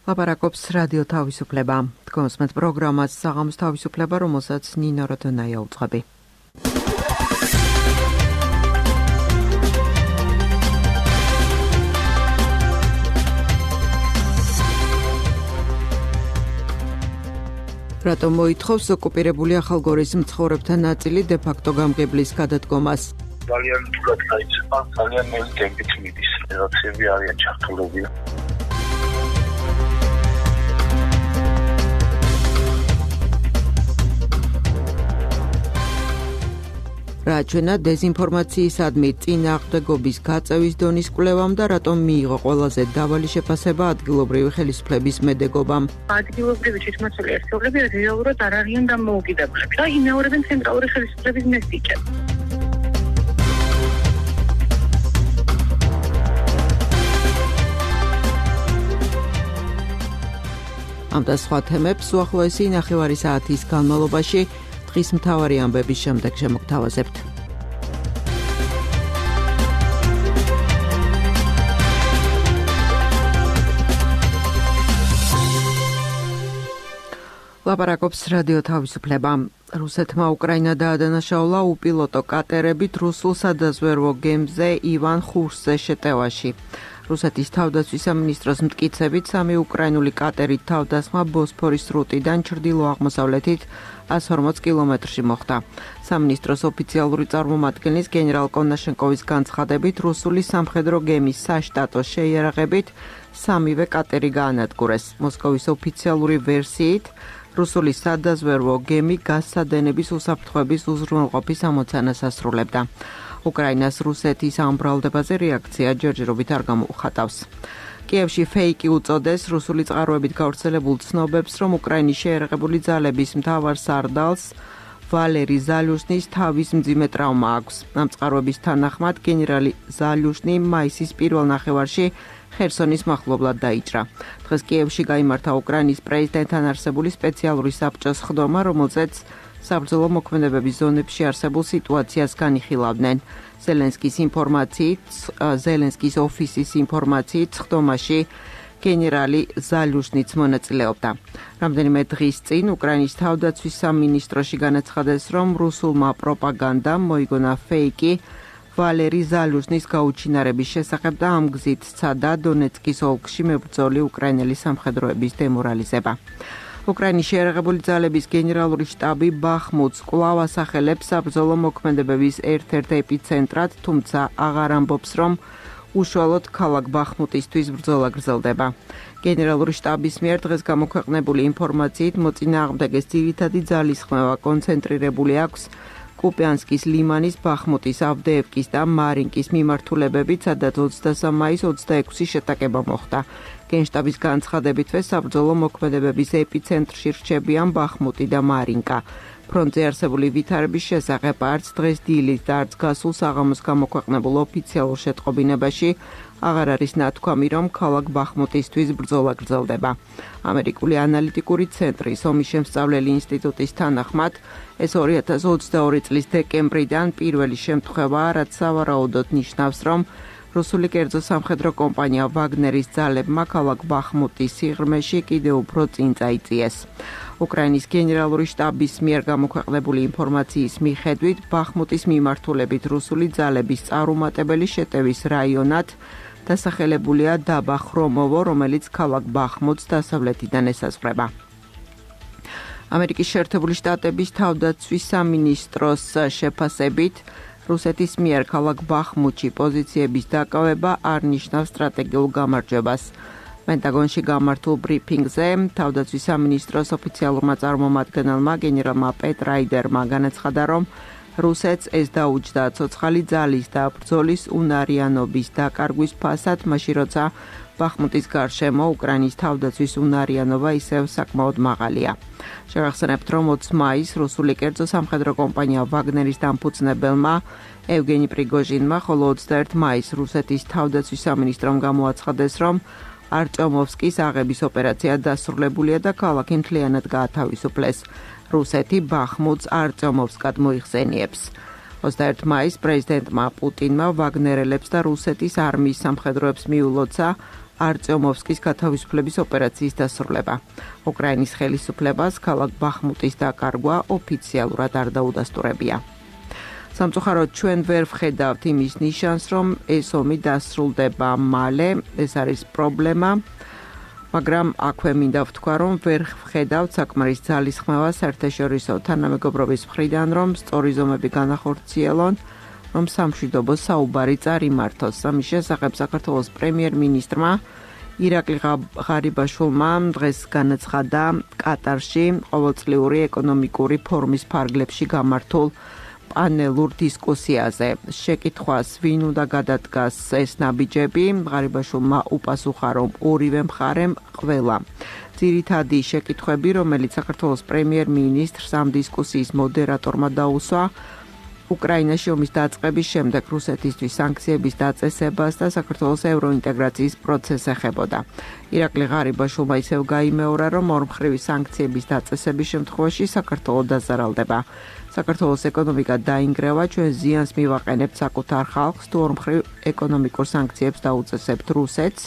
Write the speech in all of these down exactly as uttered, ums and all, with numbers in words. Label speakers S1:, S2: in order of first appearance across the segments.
S1: ლაპარაკობს რადიო თავისუფლება. Თქვენს პროგრამას საღამოს თავისუფლება, რომელსაც ნინო როდონაია უძღვები. რატომ მოითხოვს ოკუპირებული ახალგორის მცხოვრებთა ნაწილი დე-ფაქტო გამგებლის გადადგომას?
S2: ძალიან თულად დაიწყება, ძალიან ნელი ტემპით მიდის. რაცები არიან ჩართულები.
S1: რა ჩვენა დეზინფორმაციისადმი წინააღმდეგობის გაწევის დონის კვლევამ და რატომ მიიღო ყველაზე დაბალი შეფასება ადგილობრივი ხელისუფლების მედეგობამ?
S3: ადგილობრივი თვითმმართველი ერთეულები რეალურად არ არიან დამოუკიდებლები და იმეორებენ ცენტრალური ხელისუფლების მესტიჭებს.
S1: ამ და სხვა თემებს უახლოესი ნახევარი საათის განმავლობაში დღის მთავარი ამბების შემდეგ შემოგთავაზებთ. ლაპარაკობს რადიო თავისუფლება. რუსეთმა უკრაინა დაადანაშაულა უპილოტო კატერებით რუსულ სადაზვერვო გემზე ივან ხურსზე შეტევაში. რუსეთის თავდაცვის სამინისტროს მტკიცებით სამი უკრაინული კატერით თავდასხმა ბოსფორის სრუტიდან ჩრდილო-აღმოსავლეთით ას ორმოც კილომეტრში მოხდა. სამინისტროს ოფიციალური წარმომადგენლის გენერალ კონაშენკოვის განცხადებით, რუსული სამხედრო გემის საშტატო შეიარაღებით სამივე კატერი გაანადგურეს. მოსკოვის ოფიციალური ვერსიით, რუსული სადაზვერვო გემი გასადენების უსაფრთხოების უზრუნველყოფის ამოცანას ასრულებდა. უკრაინას რუსეთის ამ ბრალდებაზე რეაქცია ჯერჯერობით არ გამოუხატავს. კიევში ფეიკი უწოდეს რუსული წყაროებით გავრცელებულ ცნობებს, რომ უკრაინის შეიარაღებული ძალების მთავარ სარდალს ვალერი ზალიუშნის თავის მძიმე ტრავმა აქვს. ამ წყაროების თანახმად გენერალი ზალიუშნი მაისის პირველ ნახევარში ხერსონის მახლობლად დაიჭრა. დღეს კიევში გაიმართა უკრაინის პრეზიდენტთან არსებული სპეციალური საბჭოს ხდომა, რომელზეც საბრძოლო მოქმედებების ზონებში არსებულ სიტუაციას განიხილავდნენ. ზელენსკის ინფორმაციით, ზელენსკის ოფისის ინფორმაციით, ხდომაში გენერალი ზალიუშნიც მონაწილეობდა. რამდენიმე დღის წინ უკრაინის თავდაცვის სამინისტროში განაცხადეს, რომ რუსულმა პროპაგანდამ მოიგონა ფეიკი ვალერი ზალიუშნის გაუჩინარების შესახებ და ამ გზით სცადა დონეცკის ოლქში მებრძოლი უკრაინელი სამხედროების დემორალიზება. უკრაინის შეიარაღებული ძალების გენერალური შტაბი ბახმუტს კვლავ ასახელებს საბრძოლო მოქმედებების ერთ-ერთ ეპიცენტრად, თუმცა აღარ ამბობს, რომ უშუალოდ ქალაქ ბახმუტისთვის ბრძოლა გრძელდება. გენერალური შტაბის მიერ დღეს გამოქვეყნებული ინფორმაციით, მოწინააღმდეგეს ძირითადი ძალისხმევა კონცენტრირებული აქვს კუპიანსკის ლიმანის, ბახმუტის, ავდეევკის და მარინკის მიმართულებებით, სადაც ოცდასამი მაისს ოცდაექვსი შეტაკება მოხდა. გენშტაბის განცხადებითვე საბრძოლო მოქმედებების ეპიცენტრში რჩებიან ბახმუტი და მარინკა. ფრონტზე არსებული ვითარების შესახებ არც დღეს დილით და არც გასულ საღამოს გამოქვეყნებულ ოფიციალურ შეტყობინებაში აღარ არის ნათქვამი, რომ ქალაქ ბახმუტისთვის ბრძოლა გრძელდება. ამერიკული ანალიტიკური ცენტრის ომის შემსწავლელი ინსტიტუტის თანახმად, ეს ორი ათას ოცდაორი წლის დეკემბრიდან პირველი შემთხვევაა, რაც სავარაუდოდ ნიშნავს, რომ რუსული კერძო სამხედრო კომპანია ვაგნერის ძალებმა ქალაქ ბახმუტის სიღრმეში კიდევ უფრო წინ წაიწიეს. უკრაინის გენერალური შტაბის მიერ გამოქვეყნებული ინფორმაციის მიხედვით, ბახმუტის მიმართულებით რუსული ძალების წარუმატებელი შეტევის რაიონად დასახელებულია დაბა ხრომოვო, რომელიც ქალაქ ბახმუტს დასავლეთიდან ესაზღვრება. ამერიკის შეერთებული შტატების თავდაცვის სამინისტროს შეფასებით, რუსეთის მიერ ქალაქ ბახმუტში პოზიციების დაკავება არ ნიშნავს სტრატეგიულ გამარჯვებას. პენტაგონში გამართულ ბრიფინგზე თავდაცვის სამინისტროს ოფიციალურმა წარმომადგენელმა გენერალმა პეტ რაიდერმა განაცხადა, რომ რუსეთს ეს დაუჯდა ცოცხალი ძალის და ბრძოლის უნარიანობის დაკარგვის ფასად, მაშინ როცა ბახმუტის გარშემო უკრაინის თავდაცვის უნარიანობა ისევ საკმაოდ მაღალია. შევახსენებთ, რომ ოცი მაისს რუსული კერძო სამხედრო კომპანია ვაგნერის დამფუძნებელმა ევგენი პრიგოჟინმა, ხოლო ოცდაერთი მაისს რუსეთის თავდაცვის სამინისტრომ გამოაცხადეს, რომ არტიომოვსკის აღების ოპერაცია დასრულებულია და ქალაქი მთლიანად გაათავისუფლეს. რუსეთი ბახმუტს არტიომოვსკად მოიხსენიებს. ოცდაერთი მაისს პრეზიდენტმა პუტინმა ვაგნერელებს და რუსეთის არმიის სამხედროებს მიულოცა არწიომოვსკის გათავისუფლების ოპერაციის დასრულება. უკრაინის ხელისუფლებას ქალაქ ბახმუტის დაკარგვა ოფიციალურად არ დაუდასტურებია. სამწუხაროდ ჩვენ ვერ ვხედავთ იმის ნიშანს, რომ ეს ომი დასრულდება მალე, ეს არის პრობლემა, მაგრამ აქვე მინდა ვთქვა, რომ ვერ ვხედავთ საკმარის ძალისხმევა საერთაშორისო თანამეგობრობის მხრიდან, რომ სწორი ზომები განახორციელონ, რომ სამშვიდობო საუბარი წარიმართოს. ამის შესახებ საქართველოს პრემიერ-მინისტრმა ირაკლი ღარიბაშვილმა დღეს განაცხადა კატარში ყოველწლიური ეკონომიკური ფორუმის ფარგლებში გამართულ პანელურ დისკუსიაზე. შეკითხვას ვინ უნდა გადადგას ეს ნაბიჯები, ღარიბაშვილმა უპასუხა, რომ ორივე მხარემ ყველა. ძირითადი შეკითხვები, რომელიც საქართველოს პრემიერ-მინისტრს ამ დისკუსიის მოდერატორმა დაუსვა, უკრაინაში ომის დაწყების შემდეგ რუსეთისთვის სანქციების დაწესებას და საქართველოს ევროინტეგრაციის პროცესს ეხებოდა. ირაკლი ღარიბაშვილმა ისევ გაიმეორა, რომ ორმხრივი სანქციების დაწესების შემთხვევაში საქართველო დაზარალდება. საქართველოს ეკონომიკა დაინგრევა, ჩვენ ზიანს მივაყენებთ საკუთარ ხალხს, თუ ორმხრივ ეკონომიკურ სანქციებს დაუწესებთ რუსეთს.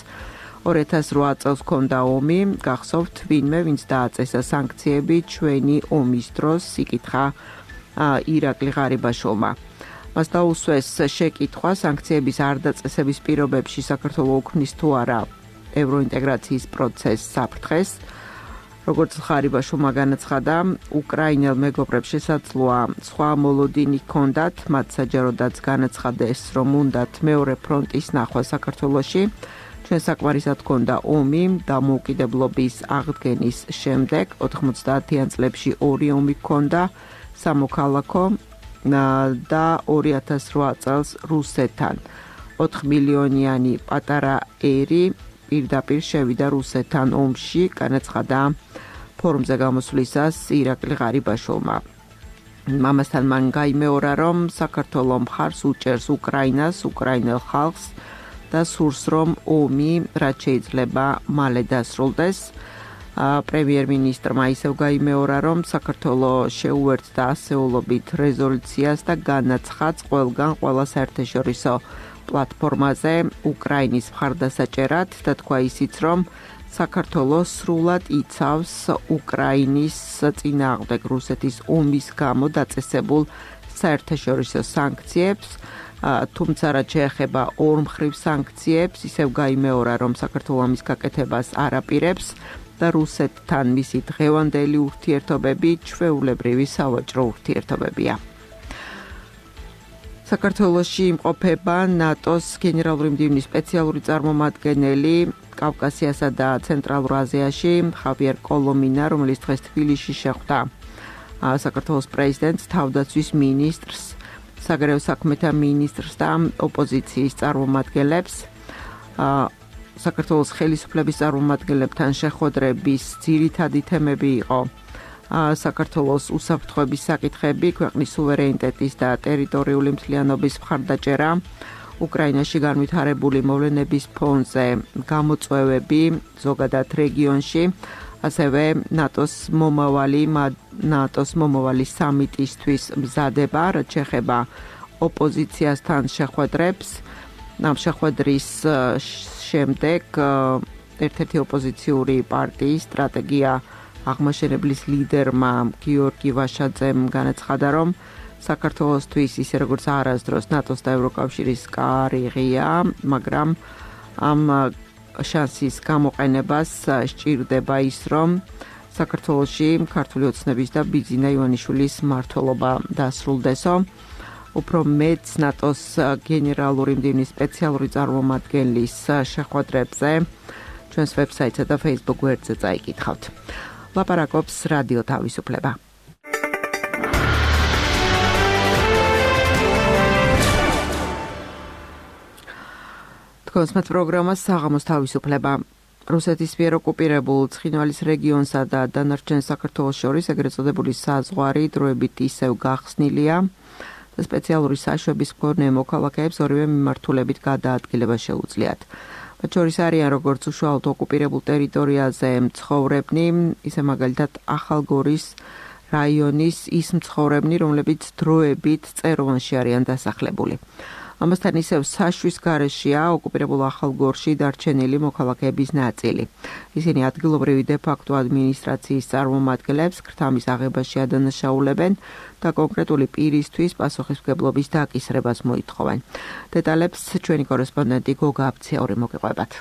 S1: ორი ათას რვა წელს ჰქონდა ომი, გახსოვთ ვინმე, ვინც დააწესა სანქციები ჩვენი ომის დროს, იკითხა ირაკლი ღარიბაშვილმა. მას დაუსვეს შეკითხვა სანქციების არ დაწესების პირობებში საქართველო უქმნის თუ არა ევროინტეგრაციის პროცესს საფრთხეს. როგორც ღარიბაშვილმა განაცხადა, უკრაინელ მეგობრებს შესაძლოა სხვა მოლოდინი ჰქონდათ, მათ საჯაროდაც განაცხადეს, რომ უნდათ მეორე ფრონტის ნახვა საქართველოში. ჩვენ საკმარისად ჰქონდა ომი დამოუკიდებლობის აღდგენის შემდეგ, ოთხმოცდაათიან წლებში ორი ომი ჰქონდა სამოქალაქო და ორი ათას რვა წელს რუსეთთან. ოთხ მილიონიანი პატარა ერი პირდაპირ შევიდა რუსეთთან ომში, განაცხადა ფორუმზე გამოსვლისას ირაკლი ღარიბაშვილმა. ამასთან მან გაიმეორა, რომ საქართველო მხარს უჭერს უკრაინას, უკრაინელ ხალხს და სურს, რომ ომი რაც შეიძლება მალე დასრულდეს. პრემიერ-მინისტრმა ისევ გაიმეორა, რომ საქართველო შეუერთდა ასეულობით რეზოლუციას და განაცხადს ყველგან ყველა საერთაშორისო პლატფორმაზე უკრაინის მხარდასაჭერად და თქვა ისიც, რომ საქართველო სრულად იცავს უკრაინის წინააღმდეგ რუსეთის ომის გამო დაწესებულ საერთაშორისო სანქციებს, თუმცა რაც შეეხება ორმხრივ სანქციებს, ისევ გაიმეორა, რომ საქართველო ამის გაკეთებას არ აპირებს და რუსეთთან მისი დღევანდელი ურთიერთობები ჩვეულებრივი სავაჭრო ურთიერთობებია. საქართველოში იმყოფება ნატოს გენერალური მდივნის სპეციალური წარმომადგენელი კავკასიასა და ცენტრალურ აზიაში ხავიერ კოლომინა, რომელიც დღეს თბილისში შეხვდა საქართველოს პრეზიდენტს, თავდაცვის მინისტრს, საგარეო საქმეთა მინისტრს და ოპოზიციის წარმომადგენლებს. საქართველოს ხელისუფლების წარმომადგენლებთან შეხვედრების ძირითადი თემები იყო საქართველოს უსაფრთხოების საკითხები, ქვეყნის სუვერენიტეტის და ტერიტორიული მთლიანობის მხარდაჭერა, უკრაინაში განვითარებული მოვლენების ფონზე გამოწვევები ზოგადად რეგიონში, ასევე ნატოს მომავალი ნატოს მომავალი სამიტისთვის მზადება, რაც შეეხება ოპოზიციასთან შეხვედრებს. ამ შეხვედრის შემდეგ ერთ-ერთი ოპოზიციური პარტიის სტრატეგია აღმაშენებლის ლიდერმა გიორგი ვაშაძემ განაცხადა, რომ საქართველოსთვის ისე როგორც არასდროს ნატოს და ევროკავშირის კარი ღია, მაგრამ ამ შანსის გამოყენებას სჭირდება ის, რომ საქართველოში ქართული ოცნების და ბიძინა ივანიშვილის მმართველობა დასრულდესო. უფრო მეც ნატოს გენერალური მდივნის სპეციალური წარმომადგენლის შეხვედრებზე ჩვენს ვებსაიტსა და Facebook გვერდზე წაიკითხავთ. ლაპარაკობს რადიო თავისუფლება. თქვენს პროგრამას საღამოს თავისუფლება. რუსეთის მიერ ოკუპირებულ ცხინვალის რეგიონსა და დანარჩენ საქართველოს შორის ეგრეთ წოდებული საზღვარი დროებით ისევ გახსნილია. სპეციალური საშვების მქონე მოქალაქეებს ორივე მიმართულებით გადაადგილება შეუძლიათ. მათ შორის არიან როგორც უშუალოდ ოკუპირებულ ტერიტორიაზე მცხოვრებნი, ისე მაგალითად ახალგორის რაიონის ის მცხოვრებნი, რომლებიც დროებით წეროვანში არიან დასახლებული. ამასთან ისევ საშვის გარეშეა ოკუპირებულ ახალგორში დარჩენილი მოქალაქეების ნაწილი. ისინი ადგილობრივი დე-ფაქტო ადმინისტრაციის წარმომადგენლებს ქრთამის აღებაში ადანაშაულებენ და კონკრეტული პირისთვის პასუხისმგებლობის დაკისრებას მოითხოვენ. დეტალებს ჩვენი კორესპონდენტი გოგა აბციური მოგეყვებათ.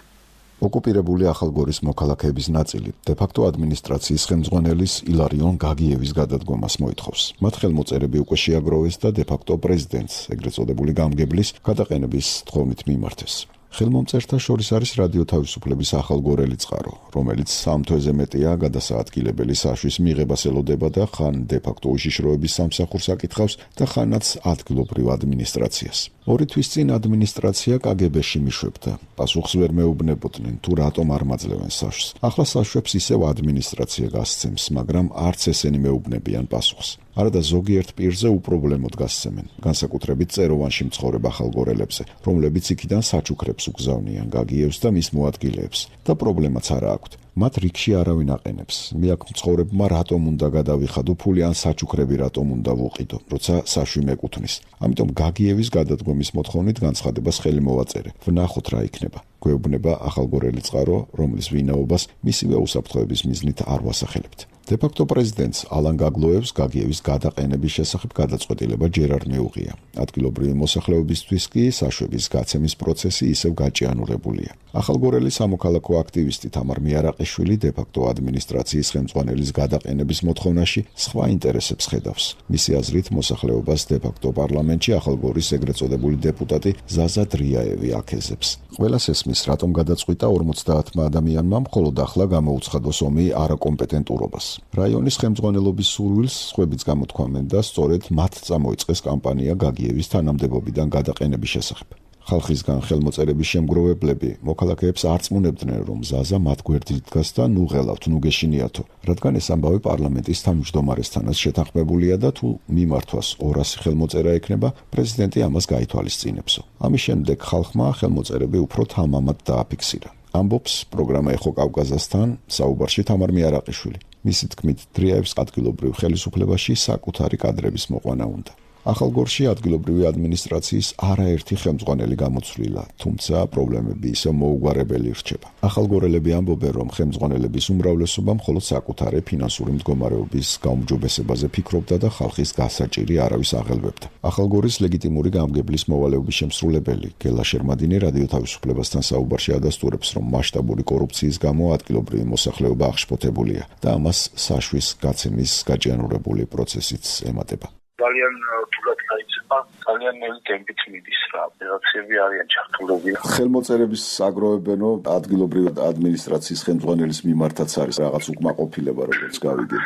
S4: ოკუპირებული ახალგორის მოქალაქეების ნაწილი დე-ფაქტო ადმინისტრაციის ხელმძღვანელის ილარიონ გაგიევის გადადგომას მოითხოვს. მათ ხელმოწერები უკვე შეაგროვეს და დე-ფაქტო პრეზიდენტს, ეგრეთ წოდებული გამგებლის გადაყენების თხოვნით მიმართეს. ხელმომწერთა შორის არის რადიო თავისუფლების ახალგორელი წყარო, რომელიც სამ თვეზე მეტია გადასაადგილებელი საშვის მიღებას ელოდება და ხან დე-ფაქტო უშიშროების სამსახურს აკითხავს და ხანაც ადგილობრივ ადმინისტრაციას. ორი თვის წინ ადმინისტრაცია კაგებეში მიშვებდა. პასუხს ვერ მეუბნებოდნენ თუ რატომ არ მაძლევენ საშვს. ახლა საშვებს ისევ ადმინისტრაცია გასცემს, მაგრამ არც ესენი მეუბნებიან პასუხს. არადა ზოგიერთ პირზე უპრობლემოდ გასცემენ, განსაკუთრებით წეროვანში მცხოვრებ ახალგორელებზე, რომლებიც იქიდან საჩუქრებს უგზავნიან გაგიევს და მის მოადგილეებს და პრობლემაც არა აქვთ. მათ რიგში არავინ აყენებს. მე აქ მცხოვრებმა რატომ უნდა გადავიხადო ფული ან საჩუქრები რატომ უნდა ვუყიდო, როცა საშვი მეკუთვნის. ამიტომ გაგიევის გადადგომის მოთხოვნით განცხადებას ხელი მოვაწერე. ვნახოთ რა იქნება. გვეუბნება ახალგორელი წყარო, რომლის ვინაობას მისივე უსაფრთხოების მიზნით არ ვასახელებთ. დე-ფაქტო პრეზიდენტს ალან გაგლოევს გაგიევის გადაყენების შესახებ გადაწყვეტილება ჯერ არ მიუღია. ადგილობრივი მოსახლეობისთვის კი საშვების გაცემის პროცესი ისევ გაჭიანურებულია. ახალგორელი სამოქალაქო აქტივისტი თამარ მიარაყიშვილი დე-ფაქტო ადმინისტრაციის ხელმძღვანელის გადაყენების მოთხოვნაში სხვა ინტერესებს ხედავს. მისი აზრით მოსახლეობას დე-ფაქტო პარლამენტში ახალგორის ეგრეთ წოდებული დეპუტატი ზაზა დრიაევი აქეზებს. ყველას ესმის, რატომ გადაწყვიტა ორმოცდაათმა ადამიანმა მხოლოდ ახლა გამოუცხადოს ომი არაკომპეტენტურობას. რაიონის ხელმძღვანელობის სურვილს სხვებიც გამოთქვამენ და სწორედ მათ წამოიწყეს კამპანია გაგიევის თანამდებობიდან გადაყენების შესახებ. ხალხისგან ხელმოწერების შემგროვებლები მოქალაქეებს არ წმუნებდნენ, რომ ზაზა მათ გვერდით დგას და ნუ ღელავთ, ნუ გეშინიათო, რადგან ეს ამბავი პარლამენტის თავმჯდომარესთანაც შეთანხმებულია და თუ მიმართვას ორასი ხელმოწერა ექნება, პრეზიდენტი ამას გაითვალისწინებსო. ამის შემდეგ ხალხმა ხელმოწერები უფრო თამამად დააფიქსირა. ამბობს პროგრამა ეხო კავკაზასთან საუბარში თამარ მიარაყიშვილი. მისი თქმით, დრიაევს ადგილობრივ ხელისუფლებაში საკუთარი კადრების მოყვანა უნდა. ახალგორში ადგილობრივი ადმინისტრაციის არაერთი ხელმძღვანელი გამოცვლილა, თუმცა პრობლემები ისევ მოუგვარებელი რჩება. ახალგორელები ამბობენ, რომ ხელმძღვანელების უმრავლესობა მხოლოდ საკუთარი ფინანსური მდგომარეობის გაუმჯობესებაზე ფიქრობდა და ხალხის გასაჭირი არავის აღელვებდა. ახალგორის ლეგიტიმური გამგებლის მოვალეობის შემსრულებელი გელა შერმადინი რადიო თავისუფლებასთან საუბარში ადასტურებს, რომ მასშტაბური კორუფციის გამო ადგილობრივი მოსახლეობა აღშფოთებულია და ამას საშვის გაცემის გაჭიანურებული პროცესიც ემატება.
S2: ძალიან თულად გაიცემა, ძალიან ნელი ტემპით მიდის რა. რაღაცები არიან ჩართულობილი.
S4: ხელმოწერების აგროვებენო ადგილობრივი ადმინისტრაციის ხელმძღვანელის მიმართაც არის რაღაც უკმაყოფილება, როგორც გავიგებ.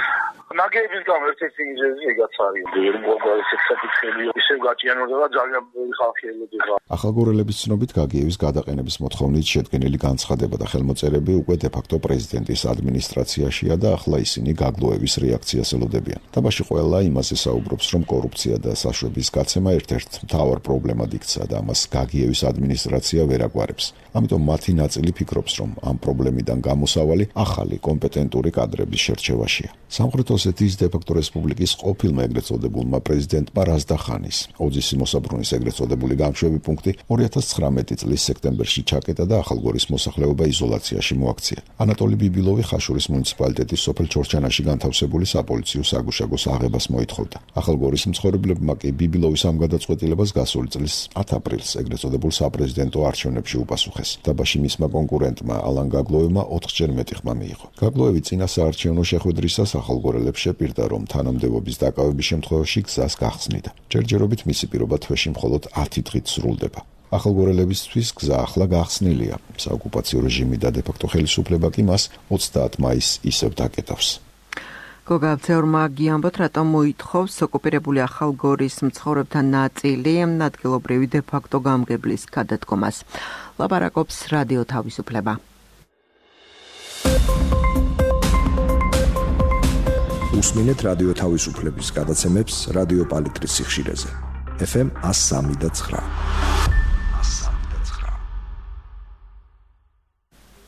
S2: ნაგების გამო ერთ-ერთი მიზეზი ეგაც არის. მოგვალეს საფუძველი ისევ გაჭიანურდება ძალიან ბევრი ხალხი ელოდება.
S4: ახალგორელების ცნობით გაგიევის გადაყენების მოთხოვნით შედგენილი განცხადება და ხელმოწერები უკვე დე-ფაქტო პრეზიდენტის ადმინისტრაციაშია და ახლა ისინი გაგლოევის რეაქციას ელოდებიან. თამაში ყველა იმაზე საუბრობს, რომ კორუფცია და საშვების გაცემა ერთ-ერთ მთავარ პრობლემად იქცა და ამას გაგიევის ადმინისტრაცია ვერ აგვარებს. ამიტომ მათი ნაწილი ფიქრობს, რომ ამ პრობლემიდან გამოსავალი ახალი კომპეტენტური კადრების შერჩევაშია. სამხრეთ ოსეთის დე-ფაქტო რესპუბლიკის ყოფილმა ეგრეთ წოდებულმა პრეზიდენტმა რაზდახანის ოძისი მოსაბრუნის ეგრეთ წოდებული გამშვები პუნქტი ორი ათას ცხრამეტი წლის სექტემბერში ჩაკეტა და ახალგორის მოსახლეობა იზოლაციაში მოაქცია. ანატოლი ბიბილოვი ხაშურის მუნიციპალიტეტის სოფელ ჩორჩანაში განთავსებული საპოლიციო საგუშაგოს აღებას მოითხოვდა. ახალგორის მცხოვრებლებმა კი ბიბილოვის ამ გადაწყვეტილებას გასული წლის ათ აპრილს ეგრეთ წოდებულ საპრეზიდენტო არჩევნებში უპასუხეს. დაბაში მისმა კონკურენტმა ალან გაგლოევმა ოთხჯერ მეტი ხმა მიიღო. გაგლოევი წინა საარჩევნო შეხვედრისას ახალგორელებს შეპირდა, რომ თანამდებობის დაკავების შემთხვევაში გზას გახსნიდა. ჯერჯერობით მისი პირობა თვეში მხოლოდ ათი დღით სრულდება. ახალგორელებისთვის გზა ახლა გახსნილია. საოკუპაციო რეჟიმი და დე-ფაქტო ხელისუფლება კი მას ოცდაათ მაისს ისევ დაკეტავს.
S1: გოგა აბცეურმა გიამბოთ, რატომ მოითხოვს ოკუპირებული ახალგორის მცხოვრებთა ნაწილი ადგილობრივი დე-ფაქტო გამგებლის გადადგომას. ლაპარაკობს რადიო თავისუფლება.
S5: უსმინეთ რადიო თავისუფლების გადაცემებს რადიო პალიტრის სიხშირეზე. ეფ ემ ას სამი და ცხრა.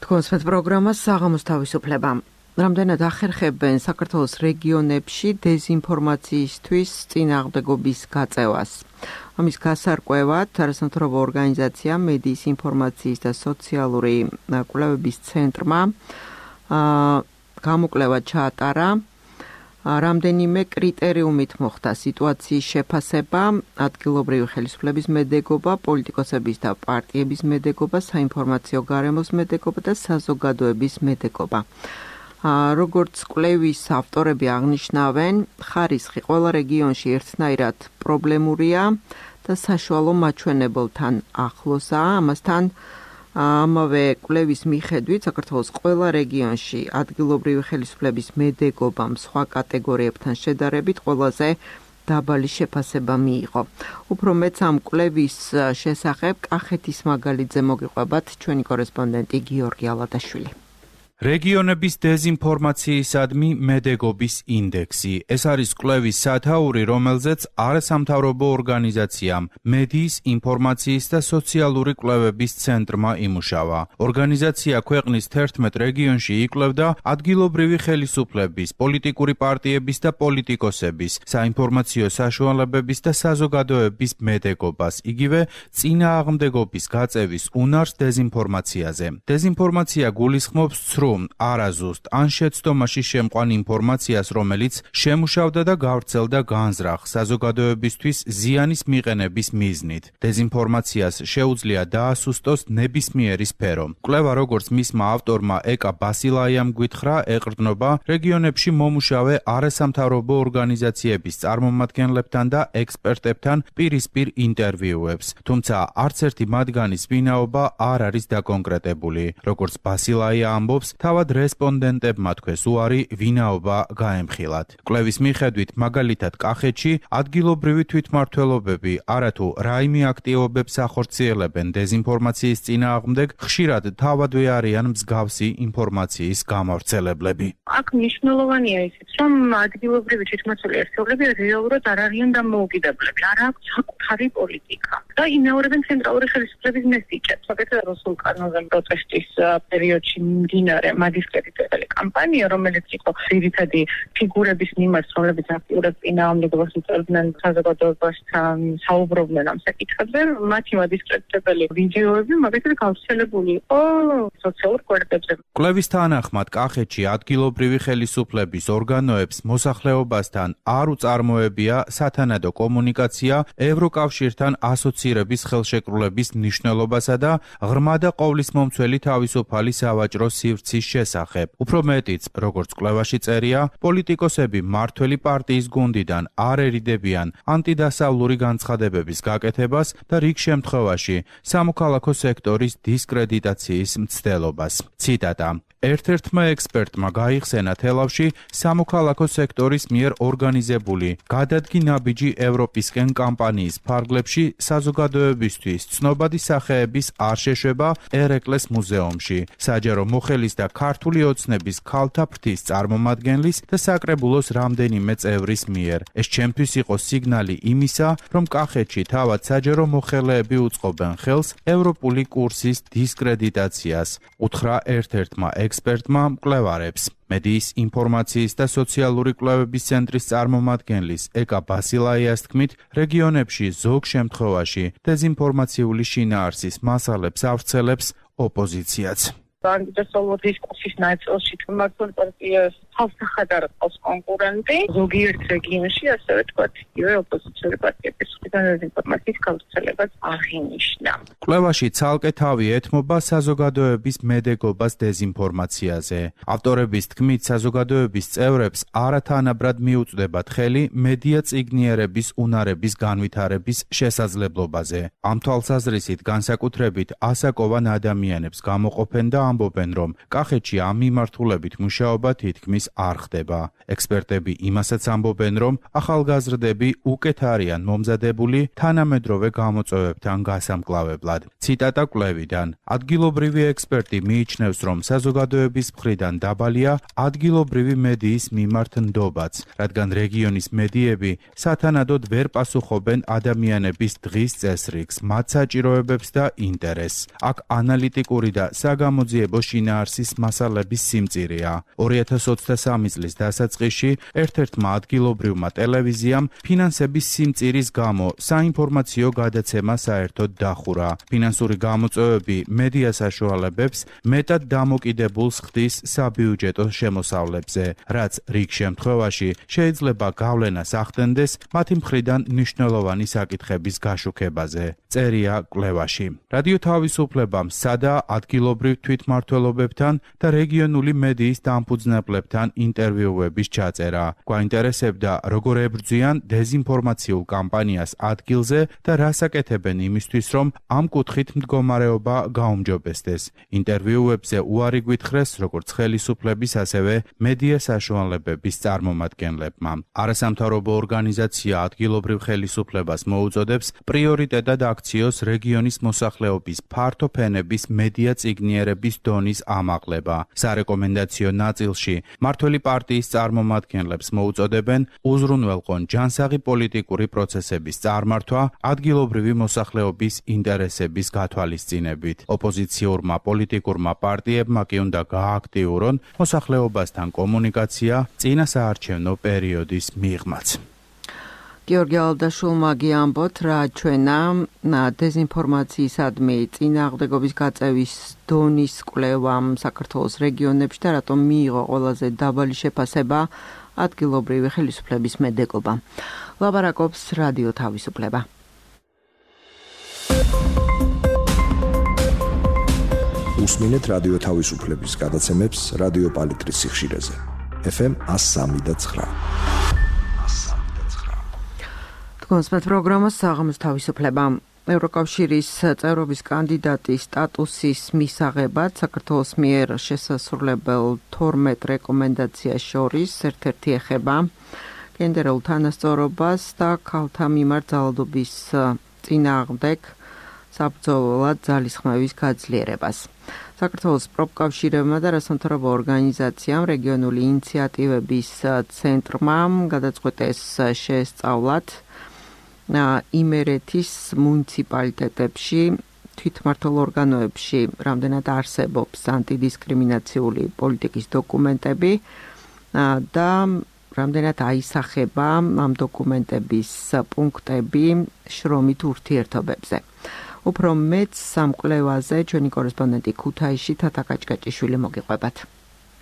S1: თქვენს პროგრამას საღამოს თავისუფლება. რამდენად ახერხებენ საქართველოს რეგიონებში დეზინფორმაციისთვის წინააღმდეგობის გაწევას. ამის გასარკვევად არასამთავრობო ორგანიზაცია მედიის ინფორმაციის და სოციალური კვლევების ცენტრმა გამოკვლევა ჩაატარა. რამდენიმე კრიტერიუმით მოხდა სიტუაციის შეფასება, ადგილობრივი ხელისუფლების მედეგობა, პოლიტიკოსების და პარტიების მედეგობა, საინფორმაციო გარემოს მედეგობა და საზოგადოების მედეგობა. როგორც კვლევის ავტორები აღნიშნავენ, ხარისხი ყველა რეგიონში ერთნაირად პრობლემურია და საშუალო მაჩვენებელთან ახლოსაა. ამასთან ამავე კვლევის მიხედვით საქართველოს ყველა რეგიონში ადგილობრივი ხელისუფლების მედეგობამ სხვა კატეგორიებთან შედარებით ყველაზე დაბალი შეფასება მიიღო. უფრო მეც ამ კვლევის შესახებ კახეთის მაგალითზე მოგიყვებათ ჩვენი კორესპონდენტი გიორგი ალადაშვილი.
S6: რეგიონების დეზინფორმაციისადმი მედეგობის ინდექსი. ეს არის კვლევის სათაური, რომელზეც არასამთავრობო ორგანიზაციამ მედიის, ინფორმაციის და სოციალური კვლევების ცენტრმა იმუშავა. ორგანიზაცია ქვეყნის თერთმეტ რეგიონში იკვლევდა ადგილობრივი ხელისუფლების, პოლიტიკური პარტიების და პოლიტიკოსების, საინფორმაციო საშუალებების და საზოგადოების მედეგობას, იგივე წინააღმდეგობის გაწევის უნარს დეზინფორმაციაზე. დეზინფორმაცია გულისხმობს ცრუ არაზუსტ ან შეცდომაში შემყვან ინფორმაციას, რომელიც შემუშავდა და გავრცელდა განზრახ საზოგადოებისთვის ზიანის მიყენების მიზნით. დეზინფორმაციას შეუძლია დაასუსტოს ნებისმიერი სფერო. კვლევა, როგორც მისმა ავტორმა ეკა ბასილაიამ გვითხრა, ეყრდნობა რეგიონებში მომუშავე არასამთავრობო ორგანიზაციების წარმომადგენლებთან და ექსპერტებთან პირისპირ ინტერვიუებს. თუმცა არც ერთი მათგანის ვინაობა არ არის დაკონკრეტებული. როგორც ბასილაია ამბობს, თავად რესპონდენტებმა თქვეს უარი ვინაობა გაემხილათ. კვლევის მიხედვით, მაგალითად კახეთში ადგილობრივი თვითმმართველობები არათუ რაიმე აქტივობებს ახორციელებენ დეზინფორმაციის წინააღმდეგ, ხშირად თავადვე არიან მსგავსი ინფორმაციის გამავრცელებლები.
S3: აქ მნიშვნელოვანია ისიც, რომ ადგილობრივი თვითმმართველი ერთეულები რეალურად არ არიან დამოუკიდებლები, არ აქვს საკუთარი პოლიტიკა და იმეორებენ ცენტრალური ხელისუფლების მესიჭებს. საკეთე რუსულ კანონზე პროტესტის პერიოდში მდინარე მადისკრედიტებელი კამპანია, რომელიც იყო ძირითადი ფიგურების მიმართ, რომლებიც აქტიურად წინააღმდეგობას უწევდნენ საზოგადოებასთან, საუბრობდნენ ამ საკითხებზე, მათი მადისკრედიტებელი ვიდეოები მაგალითად გავრცელებული იყო სოციალურ კვირტებზე.
S6: კვლევის თანახმად, კახეთში ადგილობრივი ხელისუფლების ორგანოებს მოსახლეობასთან არ უწარმოებია სათანადო კომუნიკაცია ევროკავშირთან ასოცირების ხელშეკრულების მნიშვნელობასა და ღრმა და ყოვლისმომცველი თავისუფალი სავაჭრო სივრცის შესახებ. უფრო მეტიც, როგორც კვლევაში წერია, პოლიტიკოსები მმართველი პარტიის გუნდიდან არ ერიდებიან ანტიდასავლური განცხადებების გაკეთებას და რიგ შემთხვევაში სამოქალაქო სექტორის დისკრედიტაციის მცდელობას. ციტატა: ერთ-ერთმა ექსპერტმა გაიხსენა თელავში სამოქალაქო სექტორის მიერ ორგანიზებული გადადგი ნაბიჯი ევროპისკენ კამპანიის ფარგლებში საზოგადოებისთვის ცნობადი სახეების არ შეშვება ერეკლეს მუზეუმში, საჯარო მოხელის და ქართული ოცნების ქალთა ფრთის წარმომადგენლის და საკრებულოს რამდენიმე წევრის მიერ. ეს ჩემთვის იყო სიგნალი იმისა, რომ კახეთში თავად საჯარო მოხელეები უწყობენ ხელს ევროპული კურსის დისკრედიტაციას, უთხრა ერთ-ერთმა ექსპერტმა მკვლევარებს. მედიის, ინფორმაციის და სოციალური კვლევების ცენტრის წარმომადგენლის ეკა ბასილაიას თქმით, რეგიონებში ზოგ შემთხვევაში დეზინფორმაციული შინაარსის მასალებს ავრცელებს ოპოზიციაც.
S3: ანგლისურ დისკუსიის ნაწილში თმართული პარტიას თავსახად არ ყავს კონკურენტი, ზოგიერთ რეგიონში ასევე თქვათ, იგივე ოპოზიციური პარტიების მხრიდან დეზინფორმაციის გავრცელებაც აღინიშნა.
S6: კვლევაში ცალკე თავი ეთმობა საზოგადოების მედეგობას დეზინფორმაციაზე. ავტორების თქმით, საზოგადოების წევრებს არათანაბრად მიუწვდებათ ხელი მედია წიგნიერების უნარების განვითარების შესაძლებლობაზე. ამ თვალსაზრისით განსაკუთრებით ასაკოვან ადამიანებს გამოყოფენ და ამბობენ, რომ კახეთში ამ მიმართულებით მუშაობა თითქმის არ ხდება. ექსპერტები იმასაც ამბობენ, რომ ახალგაზრდები უკეთ არიან მომზადებული მიღებული თანამედროვე გამოწვევებთან გასამკლავებლად. ციტატა კვლევიდან. ადგილობრივი ექსპერტი მიიჩნევს, რომ საზოგადოების მხრიდან დაბალია ადგილობრივი მედიის მიმართ ნდობაც, რადგან რეგიონის მედიები სათანადოდ ვერ პასუხობენ ადამიანების დღის წესრიგს, მათ საჭიროებებს და ინტერესს. აქ ანალიტიკური და საგამოძიებო შინაარსის მასალების სიმწირეა. ორი ათას ოცდასამი წლის დასაწყისში ერთ-ერთმა ადგილობრივმა ტელევიზიამ ფინანსების სიმწირის გამო საინფორმაციო გადაცემა საერთოდ დახურა. ფინანსური გამოწვევები მედია საშუალებებს მეტად დამოკიდებულს ხდის საბიუჯეტო შემოსავლებზე, რაც რიგ შემთხვევაში შეიძლება გავლენას ახდენდეს მათი მხრიდან მნიშვნელოვანი საკითხების გაშუქებაზე. წერია კვლევაში. რადიო თავისუფლებამ სადა ადგილობრივ თვითმმართველობებთან და რეგიონული მედიის დამფუძნებლებთან ინტერვიუების ჩაწერა. გვაინტერესებდა, როგორ ებრძვიან დეზინფორმაციულ კამპანიას ადგილზე და რას აკეთებენ იმისთვის, რომ ამ კუთხით მდგომარეობა გაუმჯობესდეს. ინტერვიუებზე უარი გვითხრეს როგორც ხელისუფლების, ასევე მედია საშუალებების წარმომადგენლებმა. არასამთავრობო ორგანიზაცია ადგილობრივ ხელისუფლებას მოუწოდებს პრიორიტეტად აქციოს რეგიონის მოსახლეობის ფართო ფენების მედია წიგნიერების დონის ამაღლება. სარეკომენდაციო ნაწილში მმართველი პარტიის წარმომადგენლებს მოუწოდებენ უზრუნველყონ ჯანსაღი პოლიტიკური პროცესების წარმართვა ადგილობრივი მოსახლეობის ინტერესების გათვალისწინებით. ოპოზიციურმა პოლიტიკურმა პარტიებმა კი უნდა გააქტიურონ მოსახლეობასთან კომუნიკაცია წინასაარჩევნო პერიოდის მიღმაც.
S1: გიორგი ალდაშულმა გიამბოთ, რა ჩვენა დეზინფორმაციისადმი წინააღმდეგობის გაწევის დონის კვლევამ საქართველოს რეგიონებში და რატომ მიიღო ყველაზე დაბალი შეფასება ადგილობრივი ხელისუფლების მედეგობა. ლაბარაკობს რადიო თავისუფლება.
S5: უსმინეთ რადიო თავისუფლების გადაცემებს რადიო პალიტრის სიხშირეზე. ეფ ემ one oh three point nine.
S1: კონსპეთ პროგრამას საღამოს თავისუფლება. ევროკავშირის წევრობის კანდიდატის სტატუსის მისაღებად საქართველოს მიერ შესასრულებელ თორმეტ რეკომენდაციას შორის ერთ-ერთი ეხება გენდერულ თანასწორობას და ქალთა მიმართ ძალადობის წინააღმდეგ საბრძოლველად ძალისხმევის გაძლიერებას. საქართველოს პროფკავშირებმა და რასამთავრობო ორგანიზაციამ რეგიონული ინიციატივების ცენტრმა გადაწყვეტეს შეესწავლათ იმერეთის მუნიციპალიტეტებში თვითმმართველ ორგანოებში რამდენად არსებობს ანტიდისკრიმინაციული პოლიტიკის დოკუმენტები და რამდენად აისახება ამ დოკუმენტების პუნქტები შრომით ურთიერთობებზე. უფრო მეც სამ კვლევაზე ჩვენი კორესპონდენტი ქუთაისში თათა კაჭკაჭიშვილი მოგიყვებათ.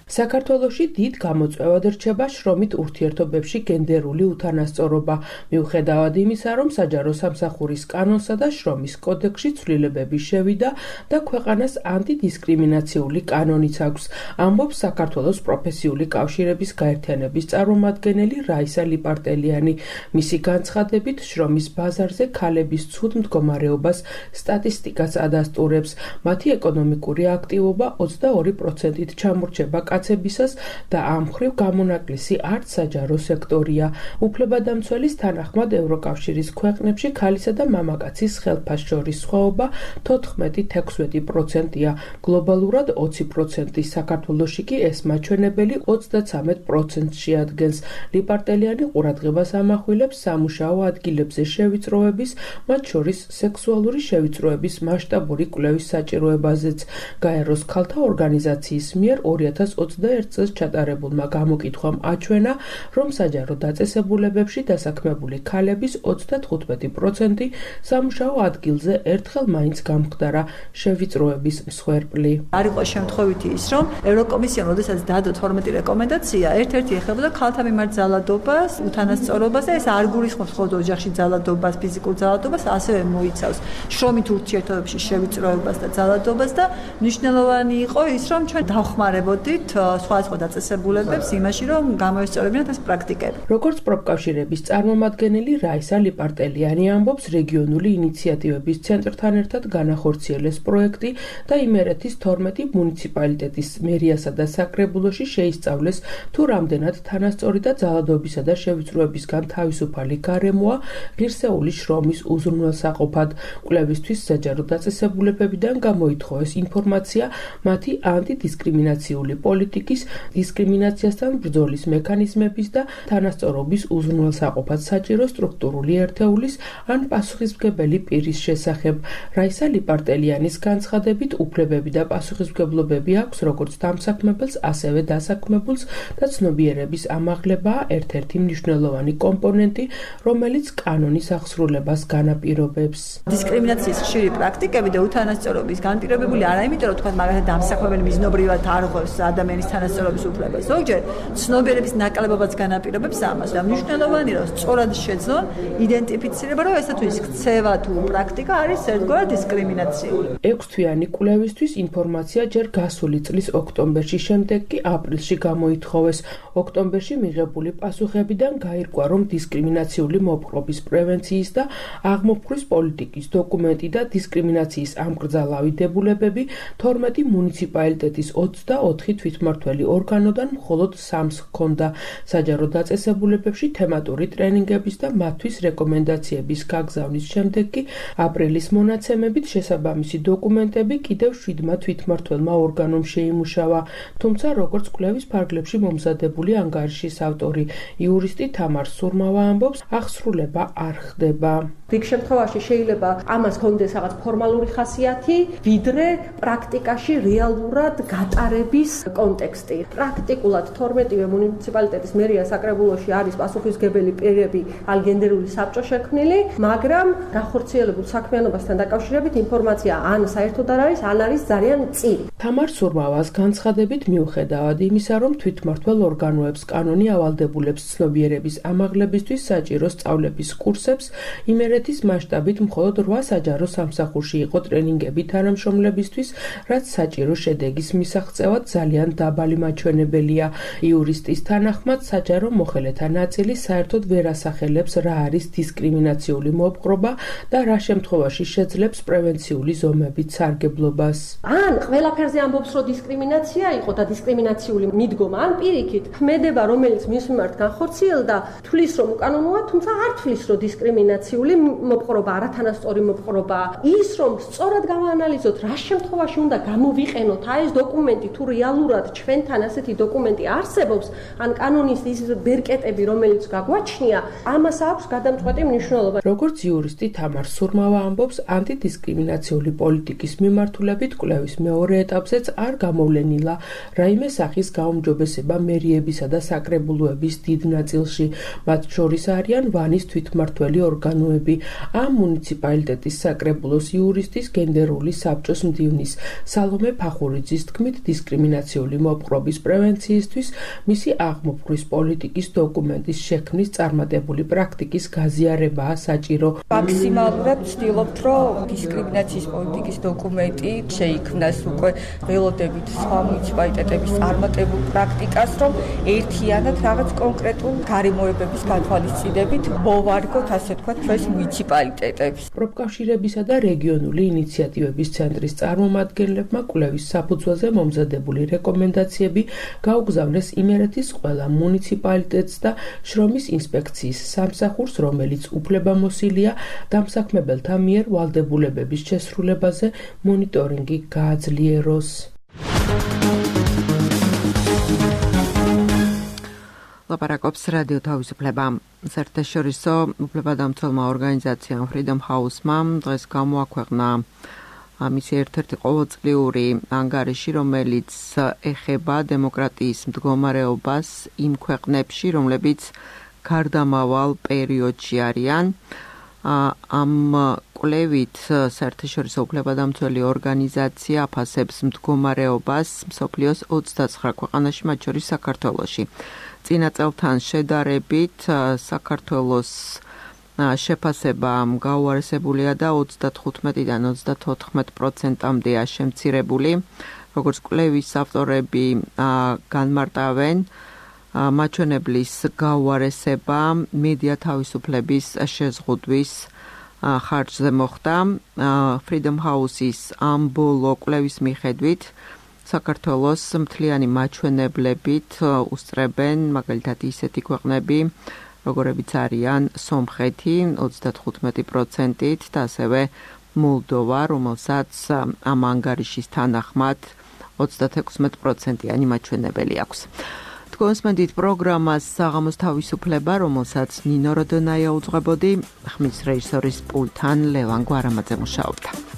S7: საქართველოში დიდ გამოწვევად რჩება შრომით ურთიერთობებში გენდერული უთანასწორობა, მიუხედავად იმისა, რომ საჯარო სამსახურის კანონსა და შრომის კოდექსში ცვლილებები შევიდა და ქვეყანას ანტიდისკრიმინაციული კანონიც აქვს, ამბობს საქართველოს პროფესიული კავშირების გაერთიანების წარმომადგენელი რაისა ლიპარტელიანი. მისი განცხადებით, შრომის ბაზარზე ქალების ცუდ მდგომარეობას სტატისტიკაც ადასტურებს. მათი ეკონომიკური აქტივობა ოცდაორი პროცენტით ჩამორჩება კაცებისას და ამ მხრივ გამონაკლისი არც საჯარო სექტორია. უფლებადამცველის თანახმად ევროკავშირის ქვეყნებში ქალისა და მამაკაცის ხელფას შორის სხვაობა თოთხმეტი თექვსმეტი პროცენტია, გლობალურად ოცი პროცენტი, საქართველოში კი ეს მაჩვენებელი ოცდაცამეტ პროცენტს შეადგენს. ლიპარტელიანი ყურადღებას ამახვილებს სამუშაო ადგილებზე შევიწროების, მათ შორის სექსუალური შევიწროების მასშტაბური კვლევის საჭიროებაზეც. გაეროს ქალთა ორგანიზაციის მიერ ორი ათას ოცდაერთ წელს ჩატარებულმა გამოკითხვამ აჩვენა, რომ საჯარო დაწესებულებებში დასაქმებული ქალების ოცდათხუთმეტი პროცენტი სამუშაო ადგილზე ერთხელ მაინც გამხდარა შევიწროების მსხვერპლი.
S8: არ იყო შემთხვევითი ის, რომ ევროკომისიამ როდესაც დადო თორმეტი რეკომენდაცია, ერთ-ერთი ეხებოდა ქალთა მიმართ ძალადობას, უთანასწორობას და ეს არ გულისხმობს მხოლოდ ოჯახში ძალადობას, ფიზიკურ ძალადობას, ასევე მოიცავს შრომით ურთიერთობებში შევიწროებას და ძალადობას და მნიშვნელოვანი იყო ის, რომ ჩვენ დავხმარებოდით სხვადასხვა დაწესებულებებს იმაში, რომ გამოესწორებინათ ეს პრაქტიკები.
S7: როგორც პროფკავშირების წარმომადგენელი რაისა ლიპარტელიანი ამბობს, რეგიონული ინიციატივების ცენტრთან ერთად განახორციელეს პროექტი და იმერეთის თორმეტი მუნიციპალიტეტის მერიასა და საკრებულოში შეისწავლეს თუ რამდენად თანასწორი და ძალადობისა და შევიწროებისგან თავისუფალი გარემოა ღირსეული შრომის უზრუნველსაყოფად. კვლევისთვის საჯარო დაწესებულებებიდან გამოითხოვეს ინფორმაცია მათი ანტიდისკრიმინაციული პოლიტიკის, დისკრიმინაციასთან ბრძოლის მექანიზმების და თანასწორობის უზრუნველსაყოფად საჭირო სტრუქტურული ერთეულის ან პასუხისმგებელი პირის შესახებ. რაისა ლიპარტელიანის განცხადებით, უფლებები და პასუხისმგებლობები აქვს როგორც დამსაქმებელს, ასევე დასაქმებულს და ცნობიერების ამაღლებაა ერთ-ერთი მნიშვნელოვანი კომპონენტი, რომელიც კანონის აღსრულებას განაპირობებს.
S8: დისკრიმინაციის ხშირი პრაქტიკები და უთანასწორობის განპირობებული არა იმიტომ, რომ თქვა მაგალითად დამსაქმებელი მიზნობრივად არ ღვევს ადამიანის თანასწორობის უფლებას. ზოგჯერ ცნობიერების ნაკლებობაც განაპირობებს ამას და მნიშვნელოვანია, რომ სწორად შეძლონ იდენტიფიცირება, რომ ესა თუ ის ქცევა თუ პრაქტიკა არის ერთგვარ დისკრიმინაციული.
S7: ექვსთვიანი კვლევისთვის ინფორმაცია ჯერ გასული წლის ოქტომბერში, შემდეგ კი აპრილში გამოითხოვეს. ოქტომბერში მიღებული პასუხებიდან გაირკვა, რომ დისკრიმინაციული მოპყრობის პრევენციის და აღმოფხვრვის პოლიტიკის დოკუმენტი და დისკრიმინაციის ამკრძალავი დებულებები თორმეტი მუნიციპალიტეტის ოცდაოთხი თვითმმართველი ორგანოდან მხოლოდ სამს ჰქონდა. საჯარო დაწესებულებებში თემატური ტრენინგების და მათთვის რეკომენდაციების გაგზავნის შემდეგ კი აპრილის მონაცემებით შესაბამისი დოკუმენტები კიდევ შვიდმა თვითმმართველმა ორგანომ შეიმუშავა. თუმცა, როგორც კვლევის ფარგლებში მომზადებული ანგარიშის ავტორი, იურისტი თამარ სურმავა ამბობს, აღსრულება არ ხდება.
S9: რიგ შემთხვევაში შეიძლება ამას ჰქონდეს რაღაც ფორმალური ხასიათი, ვიდრე პრაქტიკაში რეალურად გატარების კონტექსტი. პრაქტიკულად თორმეტივე მუნიციპალიტეტის მერია საკრებულოში არის პასუხისმგებელი პირები ან გენდერული საბჭო შექმნილი, მაგრამ განხორციელებულ საქმიანობასთან დაკავშირებით ინფორმაცია ან საერთოდ არ არის, ან არის ძალიან მწირი.
S7: თამარ სურმავას განცხადებით, მიუხედავად იმისა, რომ თვითმმართველ ორგანოებს კანონი ავალდებულებს ცნობიერების ამაღლებისთვის საჭირო სწავლების კურსებს, იმერეთის მასშტაბით მხოლოდ რვა საჯარო სამსახურში იყო ტრენინგები თანამშრომლებისთვის, რაც საჭირო შედეგის მისაღწევად ძალიან დაბალი მაჩვენებელია. იურისტის თანახმად, საჯარო მოხელეთა ნაწილი საერთოდ ვერ ასახელებს, რა არის დისკრიმინაციული მოპყრობა და რა შემთხვევაში შეძლებს პრევენციული ზომებით სარგებლობას.
S9: ან ყველაფერზე ამბობს, რომ დისკრიმინაცია იყო და დისკრიმინაციული მიდგომა, ან პირიქით ქმედება, რომელიც მის მიმართ განხორციელდა, თვლის, რომ უკანონოა, თუმცა არ თვლის, რომ დისკრიმინაციული მოპყრობა, არათანასწორი მოპყრობა. ის, რომ სწორად გავაანალიზოთ, რა შემთხვევაში უნდა გამოვიყენოთ აი ეს დოკუმენტი, თუ რეალურად ჩვენთან ასეთი დოკუმენტი არსებობს, ან კანონის ის ბერკეტები, რომელიც გაგვაჩნია, ამას აქვს გადამწყვეტი მნიშვნელობა.
S7: როგორც იურისტი თამარ სურმავა ამბობს, ანტიდისკრიმინაციული პოლიტიკის მიმართულებით კვლევის მეორე ეტაპზეც არ გამოვლენილა რაიმე სახის გაუმჯობესება მერიებისა და საკრებულოების დიდ ნაწილში. მათ შორის არიან ვანის თვითმმართველი ორგანოები, ამ მუნიციპალიტეტის საკრებულოს იურისტის გენდერული საბჭოს მდივნის სალომე ფახურიძის თქმით, დისკრიმინაციული მოპყრობის პრევენციისთვის მისი აღმოფხვრვის პოლიტიკის დოკუმენტის შექმნის წარმატებული პრაქტიკის გაზიარებაა საჭირო.
S10: მაქსიმალურად ვცდილობთ, რომ დისკრიმინაციის პოლიტიკის დოკუმენტი შეიქმნას უკვე ველოდებით სხვა მუნიციპალიტეტების წარმატებულ პრაქტიკას, რომ ერთიანად რაღაც კონკრეტულ გარემოებების გათვალისწინებით მოვარგოთ, ასე თქვა, ჩვენს მუნიციპალიტეტებს.
S7: პროფკავშირებისა და რეგიონული ინიციატივების ცენტრის წარმომადგენლებმა კვლევის საფუძველზე მომზადებული რეკომენდაციები გაუგზავნეს იმერეთის ყველა მუნიციპალიტეტს და შრომის ინსპექციის სამსახურს, რომელიც უფლებამოსილია დამსაქმებელთა მიერ ვალდებულებების შესრულებაზე მონიტორინგი გააძლიეროს.
S1: ლაპარაკობს რადიო თავისუფლება. საერთაშორისო უფლებადამცველმა ორგანიზაციამ Freedom House-მა დღეს გამოაქვეყნა მისი ერთ-ერთი ყოველწლიური ანგარიში, რომელიც ეხება დემოკრატიის მდგომარეობას იმ ქვეყნებში, რომლებიც გარდამავალ პერიოდში არიან. ამ კვლევით საერთაშორისო უფლებადამცველი ორგანიზაცია აფასებს მდგომარეობას მსოფლიოს ოცდაცხრა ქვეყანაში, მათ შორის საქართველოში. წინა წელთან შედარებით საქართველოს შეფასება გაუარესებულია და ოცდათხუთმეტიდან ოცდათოთხმეტ პროცენტამდეა შემცირებული. როგორც კვლევის ავტორები განმარტავენ, მაჩვენებლის გაუარესება მედია თავისუფლების შეზღუდვის ხარჯზე მოხდა. Freedom House-ის ამ ბოლო კვლევის მიხედვით საქართველოს მთლიანი მაჩვენებლებით უსწრებენ მაგალითად ისეთი ქვეყნები, როგორებიც არიან სომხეთი ოცდათხუთმეტი პროცენტით და ასევე მოლდოვა, რომელსაც ამ ანგარიშის თანახმად ოცდათექვსმეტი პროცენტიანი მაჩვენებელი აქვს. კონსმენდით პროგრამას საღამოს თავისუფლება, რომელსაც ნინო როდონაია უძღვებოდი, ხმის რეჟისორის პულტთან ლევან გვარამაძე მუშაობდა.